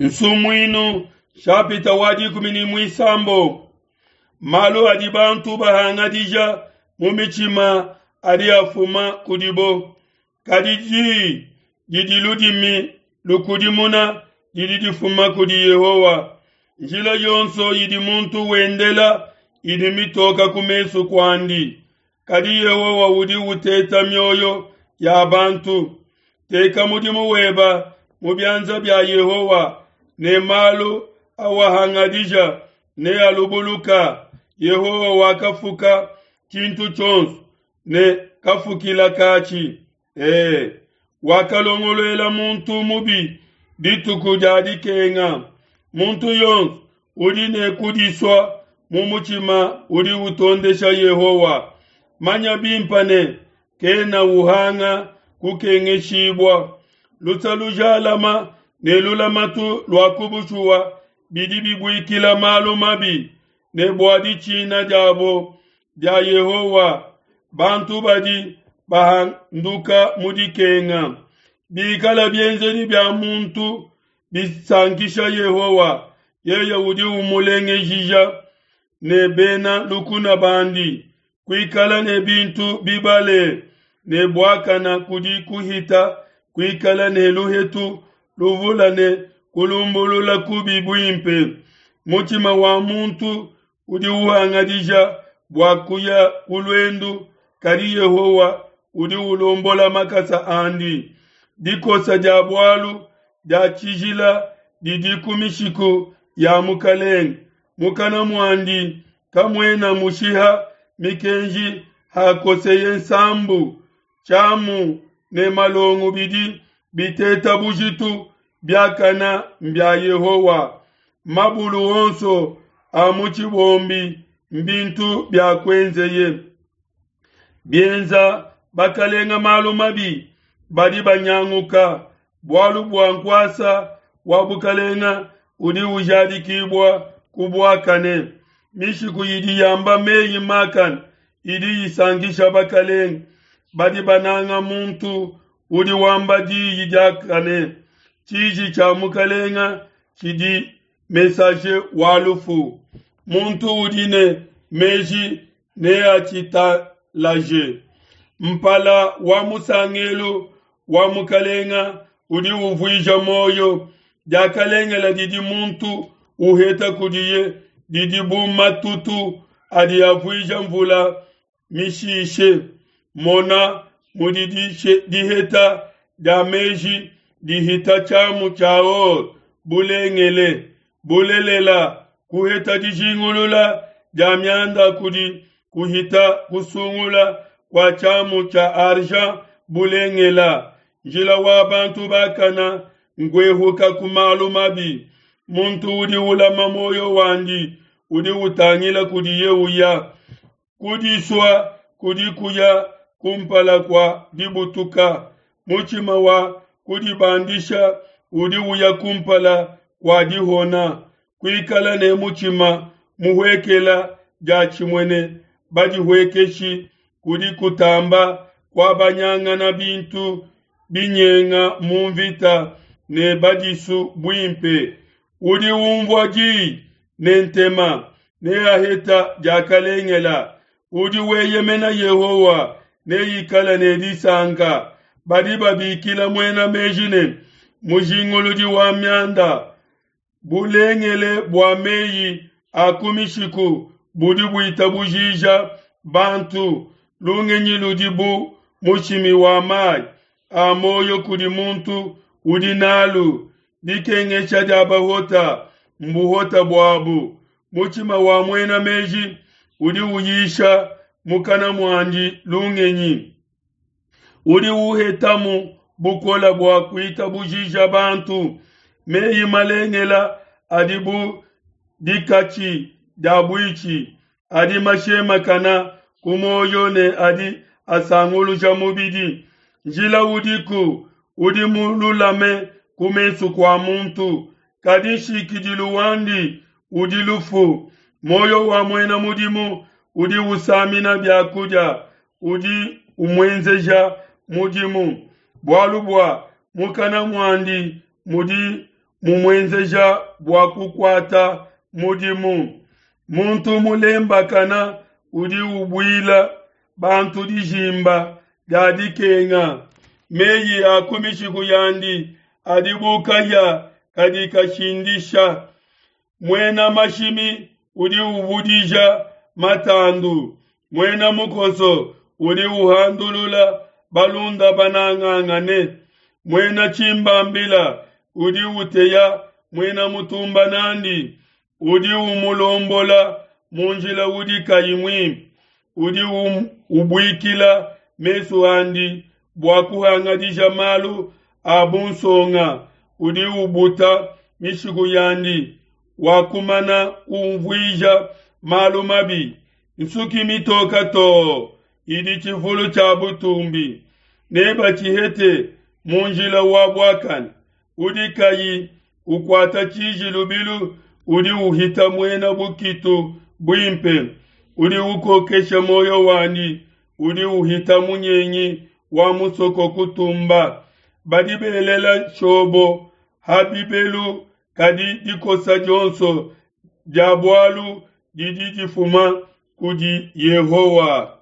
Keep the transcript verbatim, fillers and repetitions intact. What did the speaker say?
Nsumuinu shapita wa dikumi ne muisambombo. Malu adi bantu bahangadija mu mitshima adi afuma kudibo, kadi diyi didi ludimi lukudimuna didi difuma kudi Yehowa. Njila yonso idi muntu wendela idi mitoka ku mesu kuandi, kadi Yehowa udi uteta mioyo ya bantu. Teka mudimu weba mu bianza bia Yehowa, ne malu awahangadija nealubuluka. Yehowa wakafuka tshintu tshionso ne kafukila katshi. E, wakalongoluela muntu mubi dituku dia dikenga. Muntu yonso udi ne kudisua mu mutshima udi utondesha Yehowa. Manya bimpe ne kena uhanga kukengeshibua. Luse lujalama ne lulamatu lua ku bushuwa bidi bibuikila malu mabi, ne bua ditshina diabo dia Yehowa bantu badi bahanduka mu dikenga. Bikala bienzedi bia muntu bisankisha Yehowa, yeye udi umulengejija ne bena lukuna bandi. Kuikala ne bintu bibale ne buakana kudi kuhita kuikala ne luhetu luvula ne kulumbulula kubi buimpe. Mutshima wa muntu udi uhangadija bua kuya ku luendu, kadi Yehowa udi ulombola makasa andi. Dikosa dia bualu dia tshijila didi ku mishiku ya mukelenge, mukana muandi kamuena mushiha mikenji hakoseye nsambu. Tshiamu ne malongo bidi biteta bujitu biakana mbia Yehowa. Mabulu onso a mu tshibombi mbintu bia kuenzeye. Bienza bakalenga malu mabi badi banyanguka, bualu bua nkuasa wa bukalenga udi ujadikibua ku buakane. Mishiku idi yamba meyi makane idi isankisha bakalenga. Badi bananga muntu udi wamba diyi diakane. Tshiji tshia mukalenga tshidi messager wa lufu. Muntu udi ne meji neatshitalaje. Mpala wa musangelu wa mukalenga udi uvuija muoyo. Diakalengela didi muntu uheta kudiye didi bu matutu adi avuija mvula mishishe. Mona mudi diheta dia meji dihita tshiamu tshia or bulengele. Bulelela, kuheta dijingulula dia mianda kudi kuhita kusungula kua tshiamu tshia argent bulengela. Njila wa bantu bakana nkuehuka ku malu mabi. Muntu udi ulama muoyo wandi udi utangila kudiye uya. Kudisua kudi kuya kumpala kua dibutuka. Mutshima wa kudibandisha udi uya kumpala kua dihona. Kuikala ne mutshima muhuekela diatshimue ne badihuekeshi kudi kutamba kuabanyangana bintu binyenga mu mvita ne badisu buimpe. Udi umvua diyi ne ntema neaheta diakalengela. Udi weyemena Yehowa neikale ne disanka. Badi babikila muena meji ne mujinguludi wa mianda. Bulengele bua meyi a ku mishiku budi buitabujija bantu. Lungenyi ludi bu mushimi wa mayi a muoyo kudi muntu udi nalu. Dikengesha dia bahota mbuhota buabu. Mutshima wa muena meji udi uyisha mukana muandi lungenyi. Udi uhetamu bukola bua kuitabujija bantu. Meyi malengela adi bu dikatshi dia buitshi, adi mashemakana ku muoyo ne adi asanguluja mubidi. Njila udiku udi mululame ku mesu kua muntu, kadi nshikidilu wandi udi lufu. Muoyo wa muena mudimu udi usamina biakudia, udi umuenzeja mudimu. Bualu bua mukana muandi mudi mumuenzeja bua kukuata mudimu. Muntu mulembakana udi ubuila bantu dijimba dia dikenga. Meyi a ku mishiku yandi adi bu kahia kadi kashindisha. Muena mashimi udi uvudija matandu, muena mukoso udi uhandulula balunda banangangane. Muena tshimbambila udi uteya muena mutumba nandi, udi umulombola mu njila udi kayi muimpe, udi um, ubuikila mesu andi bua kuhangadija malu a bunsonga, udi ubuta mishiku yandi wakumana kumvuija malu mabi. Nsuki mitoka too idi tshifulu tshia butumbi, nebatshihete mu njila wa buakane. Udi kayi ukuata tshiji lubilu udi uhita muena bukitu buimpe. Udi ukokesha muoyo wandi udi uhita munyengi wa musoko kutumba. Badi belela nshobo ha bibelu, kadi dikosa dionso dia bualu didi difuma kudi Yehowa.